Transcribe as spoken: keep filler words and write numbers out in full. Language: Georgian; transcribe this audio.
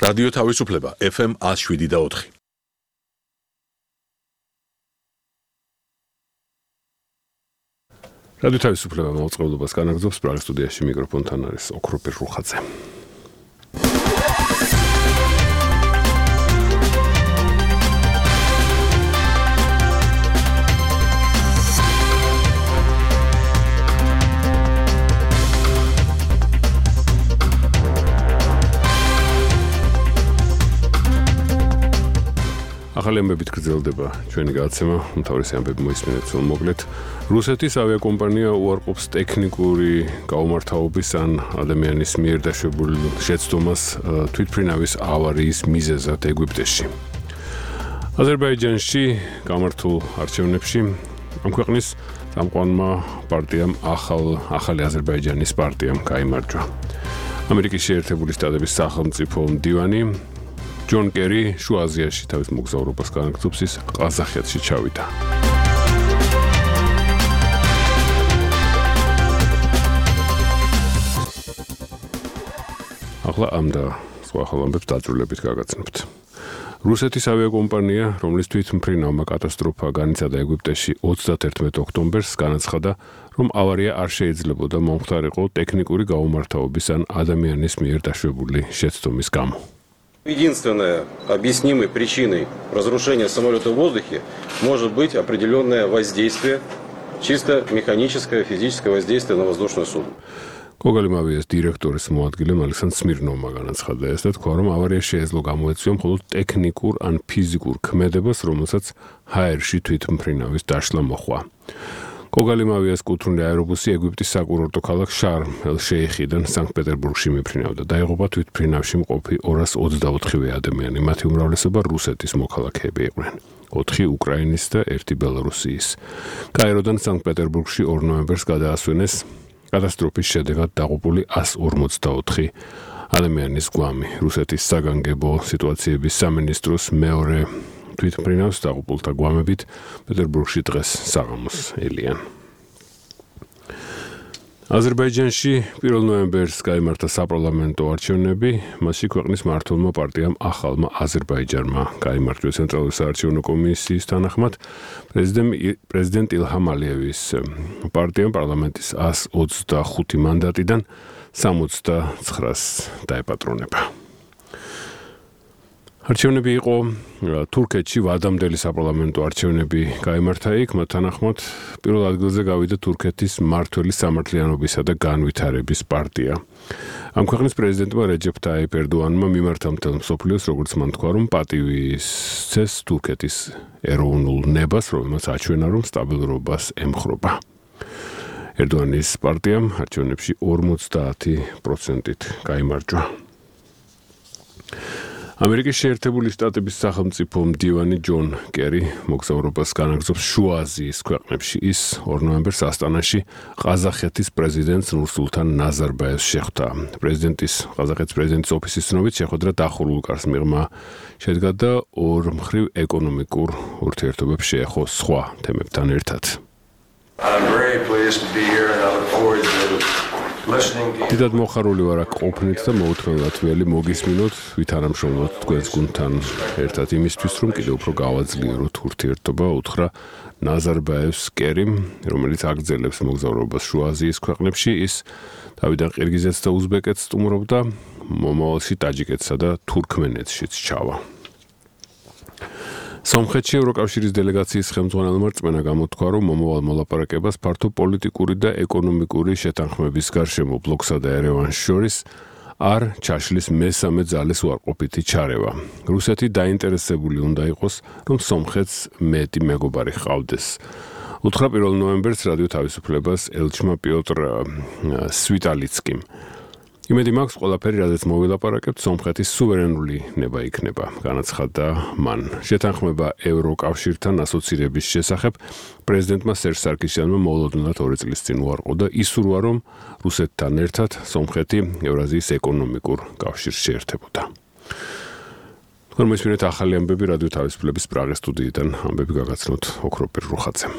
რადიო თავისუფლება ეფ ემ one oh seven და four. რადიო თავისუფლება მოწყობილობას განაგრძობს პრაღის სტუდიაში მიკროფონთან არის ოქროპირ რუხაძე. ახალი ამბებით გრძელდება ჩვენი გადაცემა, უმთავრესი ამბები მოისმინეთ სულ მოკლედ. რუსეთის ავიაკომპანია უარყოფს ტექნიკური გაუმართავობის ან ადამიანის მიერ დაშვებულ შეცდომას თვითმფრინავის ავარიის მიზეზად ეგვიპტეში. აზერბაიჯანში გამართულ არჩევნებში ამ ქვეყნის წამყვანმა პარტიამ ახალ ახალი აზერბაიჯანის პარტიამ გაიმარჯვა. ამერიკის შეერთებული შტატების სახელმწიფო მდივანი ჯონ კერი შუა აზიაში თავის მოგზაურობას განაგრძობს, ის ყაზახეთში ჩავიდა. ახლა ამ და სხვა ახალ ამბებს დაძრულებით გაგაცნობთ. რუსეთის ავიაკომპანია, რომლის თვითმფრინავმა კატასტროფა განიცადა ეგვიპტეში ოცდაათერთმეტ ოქტომბერს, განაცხადა, რომ ავარია არ შეიძლებოდა მომხდარიყო ტექნიკური გაუმართავობის ან ადამიანის მიერ დაშვებული შეცდომის გამო. Единственной объяснимой причиной разрушения самолета в воздухе может быть определенное воздействие, чисто механическое, физическое воздействие на воздушное судно. Когალიმავიას დირექტორის მოადგილემ ალექსანდრ სმირნოვმა განაცხადა ეს და თქვა, რომ ავარია შეეძლო გამოეწვია მხოლოდ ტექნიკურ ან ფიზიკურ ქმედებას, რომელსაც ჰაერში თვითმფრინავის დაშლა მოჰყვა. კოგალიმავიას კუთვნილი აერობუსი ეგვიპტის საკურორტო ქალაქ შარმ ელ-შეიხიდან სანქტ-პეტერბურგში მიფრინავდა. დაიღუპა თვითმფრინავში მყოფი ორას ოცდაოთხივე ადამიანი, მათი უმრავლესობა რუსეთის მოქალაქეები იყვნენ. ოთხი უკრაინის და ერთი ბელარუსიის. კაიროდან სანქტ-პეტერბურგში ორ ნოემბერს გადაასვენეს კატასტროფის შედეგად დაღუპული one forty-four ადამიანის გვამი. რუსეთის საგანგებო სიტუაციების სამინისტროს მეორე თვითმფრინავს დაღუპულთა გვამებით პეტერბურგში დღეს საღამოს ელიან. აზერბაიჯანში პირველ ნოემბერს გაიმართა საპარლამენტო არჩევნები, მასში ქვეყნის მმართველმა პარტიამ ახალმა აზერბაიჯანმა გაიმარჯვა ცენტრალური საარჩევნო კომისიის თანახმად პრეზიდენტ ილჰამ ალიევის პარტიამ პარლამენტის one twenty-five მანდატიდან sixty-nine-ს დაეპატრონება. არჩევნები იყო თურქეთში ვადამდელი საპარლამენტო არჩევნები გაიმართა იქ, მათ თანახმად პირველ ადგილზე გავიდა თურქეთის მმართველი სამართლიანობისა და განვითარების პარტია. ამ ქვეყნის პრეზიდენტმა რეჯეფ ტაიპ ერდოანმა მიმართა მთელ მსოფლიოს, როგორც მან თქვა, რომ პატივის სცეს თურქეთის ეროვნულ ნებას, რომელმაც აჩვენა, რომ სტაბილურობას ემხრობა. ერდოანის პარტიამ არჩევნებში forty პროცენტით გაიმარჯვა. ამერიკის შეერთებული შტატების სახელმწიფო მდივანი ჯონ კერი მოგზაურობას განაგრძობს შუა აზიის ქვეყნებში. ის ორ ნოემბერს ასტანაში ყაზახეთის პრეზიდენტს ნურსულთან ნაზარბაევს შეხვდა. პრეზიდენტის ყაზახეთის პრეზიდენტის ოფისის ცნობით შეხვედრა დახურულ კარს მიღმა შედგა და ორმხრივ ეკონომიკურ ურთიერთობებს შეეხო სხვა თემებთან ერთად. I'm very pleased to be here and I look forward to დიდად მოხარული ვარ აქ ყოფნით და მოუთმენლად ველი მოგისმინოთ, ვითანამშრომლოთ თქვენს გუნდთან ერთად იმისთვის, რომ კიდევ უფრო გავაძლიეროთ ურთიერთობა, უთხრა ნაზარბაევს კერიმ, რომელიც აგრძელებს მოგზაურობას შუა აზიის ქვეყნებში. ის თავიდან ყირგიზეთს და უზბეკეთს სტუმრობდა, მომავალში ტაჯიკეთსა და თურქმენეთშიც ჩავა. სომხეთში ევროკავშირის დელეგაციის ხელმძღვანელმა რწმენა გამოთქვა, რომ მომავალ მოლაპარაკებას ფართო პოლიტიკური და ეკონომიკური შეთანხმების გარშემო ბლოკსა და ერევანს შორის არ ჩაშლის მესამე ძალის უარყოფითი ჩარევა. რუსეთი დაინტერესებული უნდა იყოს, რომ სომხეთს მეტი მეგობარი ჰყავდეს. უთხრა პირველ ნოემბერს რადიო თავისუფლებას ელჩმა პიოტრ სვიტალიცკიმ. იმედი მაქვს, ყველაფერი, რაზეც მოვილაპარაკებთ, სომხეთის სუვერენული ნება იქნება, განაცხადა მან. შეთანხმება ევროკავშირთან ასოცირების შესახებ პრეზიდენტმა სერჟ სარკისიანმა მოულოდნელად ორი წლის წინ უარყო და ისურვა, რომ რუსეთთან ერთად სომხეთი ევრაზიის ეკონომიკურ კავშირს შეერთებოდა. თქვენ მოისმინეთ ახალი ამბები რადიო თავისუფლების პრაღის სტუდიიდან, ამბები გაგაცნოთ ოქროპირ რუხაძემ.